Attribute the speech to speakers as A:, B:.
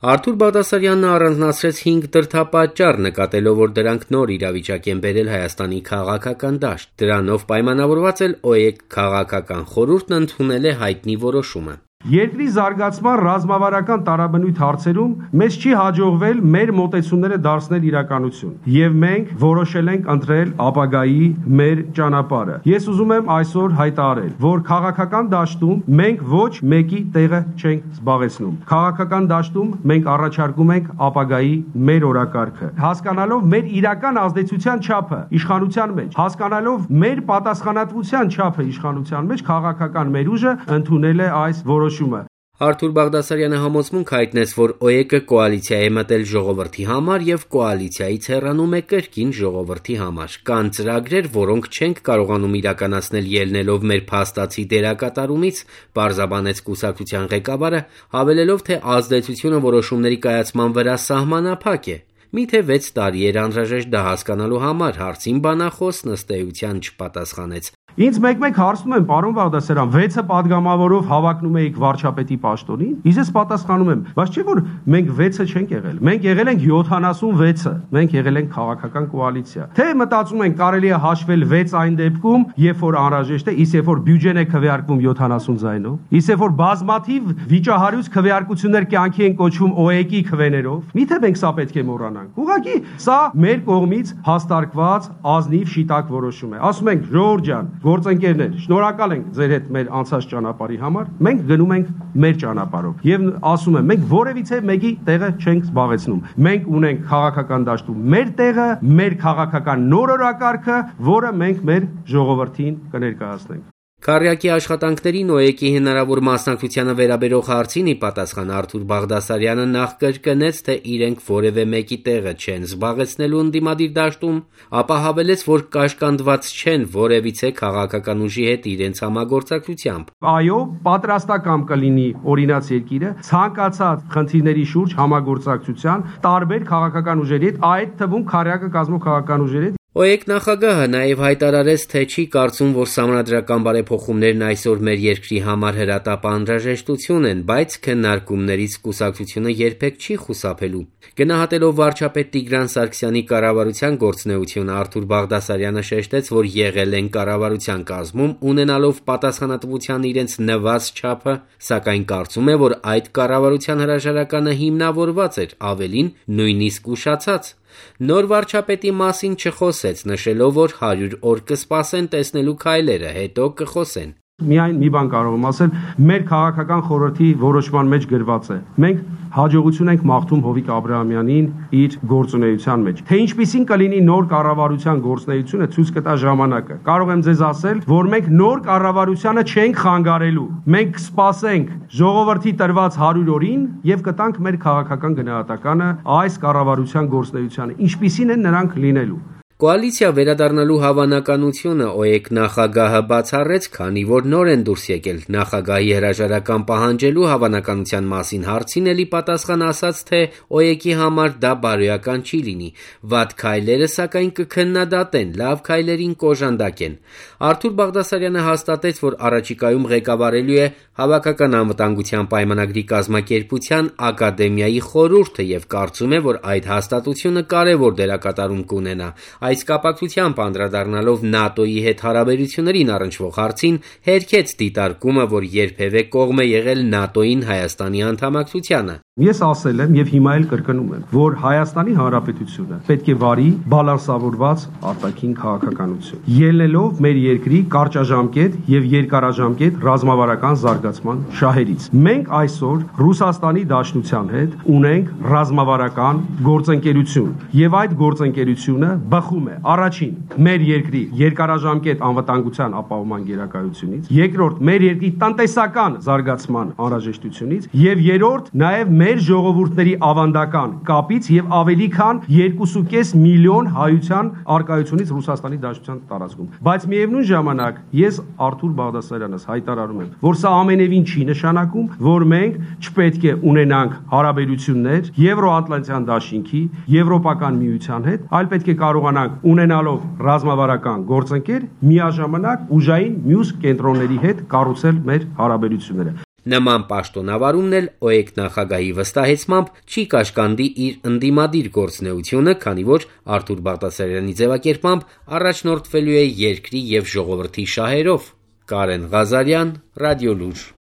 A: Արթուր Բաղդասարյանն առանձնացրեց 5 դրդապատճառ, նկատելով, որ դրանք նոր իրավիճակ են բերել Հայաստանի քաղաքական դաշտ։ Դրանով պայմանավորված էլ ՕԵԿ քաղաքական խորհուրդն ընդունել է հայտնի որոշումը։
B: Երկրի զարգացման ռազմավարական տարաբնույթ հարցերում մեզ չի հաջողվել մեր մոտեցումները դարձնել իրականություն, եւ մենք որոշել ենք ընտրել ապագայի մեր ճանապարհը։ Ես ուզում եմ այսօր հայտարարել, որ քաղաքական դաշտում մենք ոչ մեկի տեղը չենք զբաղեցնում։ Քաղաքական դաշտում մենք առաջարկում ենք ապագայի մեր օրակարգը, հասկանալով մեր իրական ազդեցության չափը իշխանության մեջ, հասկանալով մեր պատասխանատվության չափը իշխանության մեջ, քաղաքական մեր ուժը ընդունել է այս որոշումը։
A: Արթուր Բաղդասարյանը համոզմունք հայտնեց, որ ՕԵԿ-ը կոալիցիա է մտել ժողովրդի համար եւ կոալիցիայից հեռանում է կրկին ժողովրդի համար։ Կան ծրագրեր, որոնք չենք կարողանում իրականացնել ելնելով մեր փաստացի դերակատարումից, պարզաբանեց կուսակցության ղեկավարը, հավելելով, թե ազդեցությունը որոշումների կայացման վրա սահմանափակ է։ Միթե 6 տարի էր անհրաժեշտ դա հասկանալու համար, հարցին բանախոս ըստ էության չպատասխանեց։
B: Ինձ մեկ-մեկ հարցնում են, պարոն Բաղդասարյան, 6-ը падգամավորով հավակնում էիք վարչապետի պաշտոնին։ Ես պատասխանում եմ, բայց չէ՞ որ մենք 6-ը չենք եղել։ Մենք եղել ենք 76-ը։ Մենք եղել ենք քաղաքական կոալիցիա։ Թե մտածում ենք կարելի է հաշվել 6 այն դեպքում, երբ որ անհրաժեշտ է, իսկ երբ որ բյուջեն է քվեարկվում 70 ձայնով, իսկ երբ որ բազմաթիվ վիճահարույց քվեարկություններ կյանքի են կոչվում ՕԵԿ-ի քվեներով, միթե մենք սա պետք է մոռանանք։ Ուղղակի սա մեր կողմից հաստարկված ազնիվ շիտակ որոշում է։ Ասում ենք, ժողովուրդ ջան, գործընկերներ, շնորհակալ ենք ձեր հետ մեր անցած ճանապարհի համար, մենք գնում ենք մեր ճանապարհով եւ ասում եմ, մենք որևիցե մեկի տեղը չենք զբաղեցնում։ Մենք ունենք քաղաքական դաշտում մեր տեղը, մեր քաղաքական նոր օրակարգը, որը մենք մեր ժողովրդին կներկայացնենք։
A: Քառյակի աշխատանքներին ՕԵԿ-ի հնարավոր մասնակցությանը վերաբերող հարցին ի պատասխան Արթուր Բաղդասարյանը նախ կրկնեց, թե իրենք որևէ մեկի տեղը չեն զբաղեցնելու ընդդիմադիր դաշտում, ապա հավելեց, որ կաշկանդված չեն որևիցե քաղաքական ուժի հետ իրենց համագործակցությամբ։
B: Այո, պատրաստական կլինի օրինաց երկիրը ցանկացած խնդիրների շուրջ համագործակցության տարբեր քաղաքական ուժերի հետ, այդ թվում քառյակը կազմող քաղաքական ուժերի հետ։
A: ՕԵԿ նախագահը նաև հայտարարեց, թե չի կարծում, որ սահմանադրական բարեփոխումներն այսօր մեր երկրի համար հրատապ անհրաժեշտություն են, բայց քննարկումներից կուսակցությունը երբեք չի խուսափելու։ Գնահատելով վարչապետ Տիգրան Սարգսյանի կառավարության գործունեությունը, Արթուր Բաղդասարյանը շեշտեց, որ եղել են կառավարության կազմում, ունենալով պատասխանատվության իրենց նվազ չափը, սակայն կարծում է, որ այդ կառավարության հրաժարականը հիմնավորված էր, ավելին նույնիսկ ուշացած։ Նոր վարչապետի մասին չխոսեց, նշելով, որ 100 օր կսպասեն տեսնելու քայլերը, հետո կխոսեն։
B: Միայն մի բան կարող եմ ասել, մեր քաղաքական խորհրդի որոշման մեջ գրված է. մենք հաջողություն ենք մաղթում Հովիկ Աբրահամյանին իր գործունեության մեջ։ Թե ինչպիսին կլինի նոր կառավարության գործունեությունը, ցույց կտա ժամանակը։ Կարող եմ ձեզ ասել, որ մենք նոր կառավարությանը չենք խանգարելու։ Մենք կսպասենք ժողովրդի տրված 100 օրին եւ կտանք մեր քաղաքական գնահատականը այս կառավարության գործունեությանը, ինչպիսին են նրանք լինելու։
A: Կոալիցիա վերադառնալու հավանականությունը ՕԵԿ նախագահը բացառեց, քանի որ նոր են դուրս եկել նախագահի հրաժարական պահանջելու հավանականության մասին հարցին էլի պատասխան ասաց, թե ՕԵԿ-ի համար դա բարոյական չի լինի, վատ քայլերը սակայն կքննադատեն, լավ քայլերին կոժանդակեն։ Արթուր Բաղդասարյանը հաստատեց, որ առաջիկայում ղեկավարելու է Հավաքական անվտանգության պայմանագրի կազմակերպության ակադեմիայի խորհուրդը եւ կարծում է, որ այդ հաստատությունը կարեւոր դերակատարում կունենա։ Այս կապակցությամբ անդրադառնալով ՆԱՏՕ-ի հետ հարաբերություններին առնչվող հարցին, հերքեց դիտարկումը, որ երբևէ կողմ է եղել ՆԱՏՕ-ին Հայաստանի անդամակցությանը։
B: Ես ասել եմ եւ հիմա էլ կրկնում եմ, որ Հայաստանի Հանրապետությունը պետք է վարի բալանսավորված արտաքին քաղաքականություն, ելնելով մեր երկրի կարճաժամկետ եւ երկարաժամկետ ռազմավարական զարգացման շահերից։ Մենք այսօր Ռուսաստանի Դաշնության հետ ունենք ռազմավարական գործընկերություն եւ այդ գործընկերությունը բխում է առաջին մեր երկրի երկարաժամկետ անվտանգության ապահովման գերակայությունից, երկրորդ մեր երկրի տնտեսական զարգացման անհրաժեշտությունից եւ երրորդ նաեւ մեր ժողովուրդների ավանդական կապից եւ ավելի քան 2.5 միլիոն հայության արկայությունից Ռուսաստանի Դաշնության տարածքում։ Բայց միևնույն ժամանակ ես Արթուր Բաղդասարյանս հայտարարում եմ, որ սա ամենևին չի նշանակում, որ մենք չպետք է ունենանք հարաբերություններ Եվրոատլանտյան դաշինքի, Եվրոպական միության հետ, այլ պետք է կարողանանք ունենալով ռազմավարական գործընկեր միաժամանակ ուժային մյուս կենտրոնների հետ կառուցել մեր հարաբերությունները։
A: Նման պաշտոնավարումն էլ ՕԵԿ նախագահի վստահեցմամբ չի կաշկանդի իր ընդդիմադիր գործունեությունը, քանի որ Արթուր Բաղդասարյանի ձևակերպմամբ առաջնորդվելու է երկրի և ժողովրդի շահերով։ Կարեն Ղազարյան, Ռադիոլուր։